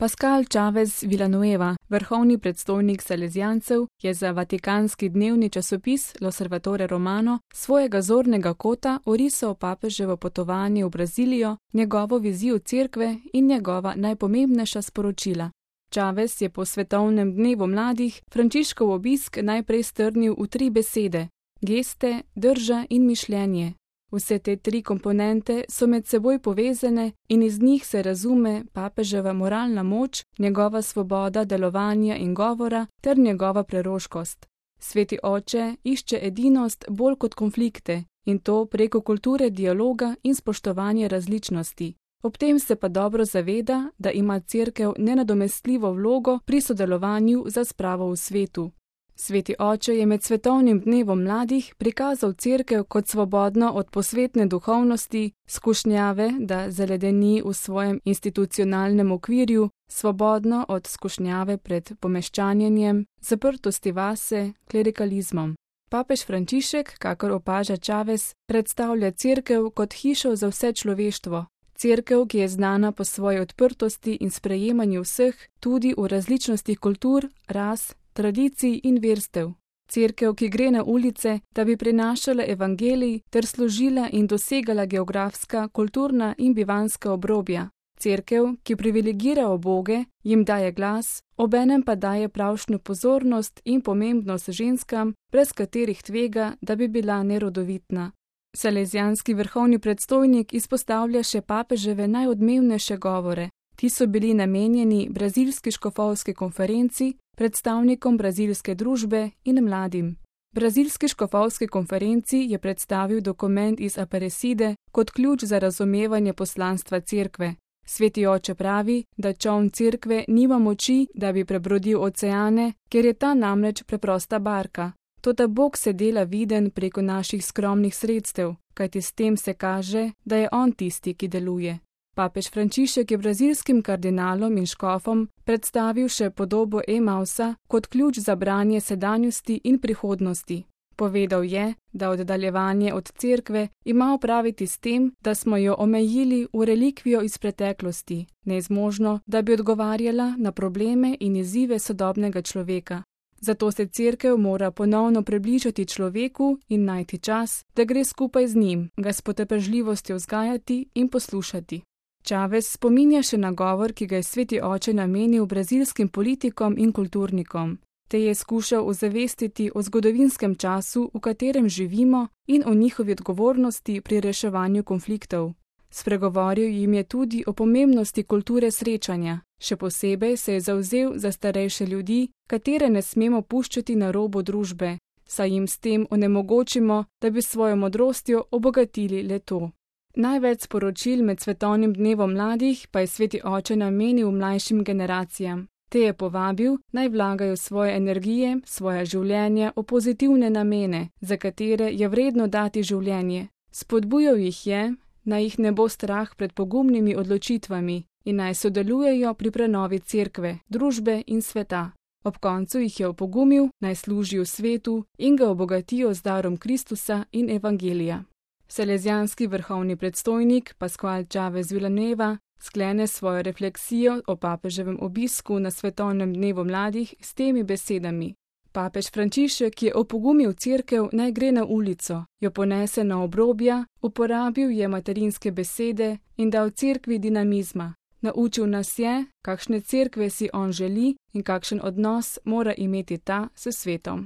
Pascal Chavez Villanueva, vrhovni predstojnik salezijancev, je za vatikanski dnevni časopis L'Osservatore Romano svojega zornega kota orisal papeževo potovanje v Brazilijo, njegovo vizijo cerkve in njegova najpomembnejša sporočila. Chavez je po svetovnem dnevu mladih Frančiškov obisk najprej strnil v 3 besede: geste, drža in mišljenje. Vse te 3 komponente so med seboj povezane in iz njih se razume papeževa moralna moč, njegova svoboda delovanja in govora ter njegova preroškost. Sveti oče išče edinost bolj kot konflikte in to preko kulture dialoga in spoštovanja različnosti. Ob tem se pa dobro zaveda, da ima cerkev nenadomestljivo vlogo pri sodelovanju za spravo v svetu. Sveti oče je med svetovnim dnevom mladih prikazal cerkev kot svobodno od posvetne duhovnosti, skušnjave, da zaledeni v svojem institucionalnem okvirju, svobodno od skušnjave pred pomeščanjenjem, zaprtosti vase, klerikalizmom. Papež Frančišek, kakor opaža Chavez, predstavlja cerkev kot hišo za vse človeštvo. Cerkev, ki je znana po svoji odprtosti in sprejemanju vseh, tudi v različnosti kultur, ras, tradicij in verstev. Cerkev, ki gre na ulice, da bi prinašala evangelij ter služila in dosegala geografska, kulturna in bivanska obrobja. Cerkev, ki privilegira uboge, jim daje glas, obenem pa daje pravšnjo pozornost in pomembnost ženskam, brez katerih tvega, da bi bila nerodovitna. Salezijanski vrhovni predstojnik izpostavlja še papeževe najodmevnejše govore. Ti so bili namenjeni brazilski škofovski konferenci, predstavnikom brazilske družbe in mladim. Brazilski škofovski konferenci je predstavil dokument iz Aparecide kot ključ za razumevanje poslanstva cerkve. Sveti oče pravi, da čoln cerkve nima moči, da bi prebrodil oceane, ker je ta namreč preprosta barka. Toda Bog se dela viden preko naših skromnih sredstev, kajti s tem se kaže, da je on tisti, ki deluje. Papež Frančišek je brazilskim kardinalom in škofom predstavil še podobo Emausa kot ključ za branje sedanjosti in prihodnosti. Povedal je, da oddaljevanje od cerkve ima opraviti s tem, da smo jo omejili v relikvijo iz preteklosti, nezmožno, da bi odgovarjala na probleme in izzive sodobnega človeka. Zato se cerkev mora ponovno približati človeku in najti čas, da gre skupaj z njim, ga s potrpežljivostjo vzgajati in poslušati. Chavez spominja še na govor, ki ga je sveti oče namenil brazilskim politikom in kulturnikom. Te je skušal ozavestiti o zgodovinskem času, v katerem živimo, in o njihovi odgovornosti pri reševanju konfliktov. Spregovoril jim je tudi o pomembnosti kulture srečanja. Še posebej se je zavzel za starejše ljudi, katere ne smemo puščati na robu družbe, saj jim s tem onemogočimo, da bi svojo modrostjo obogatili le to. Največ sporočil med svetovnim dnevom mladih pa je sveti oče namenil mlajšim generacijam. Te je povabil, naj vlagajo svoje energije, svoja življenja v pozitivne namene, za katere je vredno dati življenje. Spodbujal jih je, naj jih ne bo strah pred pogumnimi odločitvami in naj sodelujejo pri prenovi cerkve, družbe in sveta. Ob koncu jih je opogumil, naj služijo svetu in ga obogatijo z darom Kristusa in evangelija. Salezijanski vrhovni predstojnik Pascal Chavez Villanueva sklene svojo refleksijo o papeževem obisku na svetovnem dnevu mladih s temi besedami. Papež Frančišek je opogumil cerkev, naj gre na ulico, jo ponese na obrobja, uporabil je materinske besede in dal cerkvi dinamizma. Naučil nas je, kakšne cerkve si on želi in kakšen odnos mora imeti ta s svetom.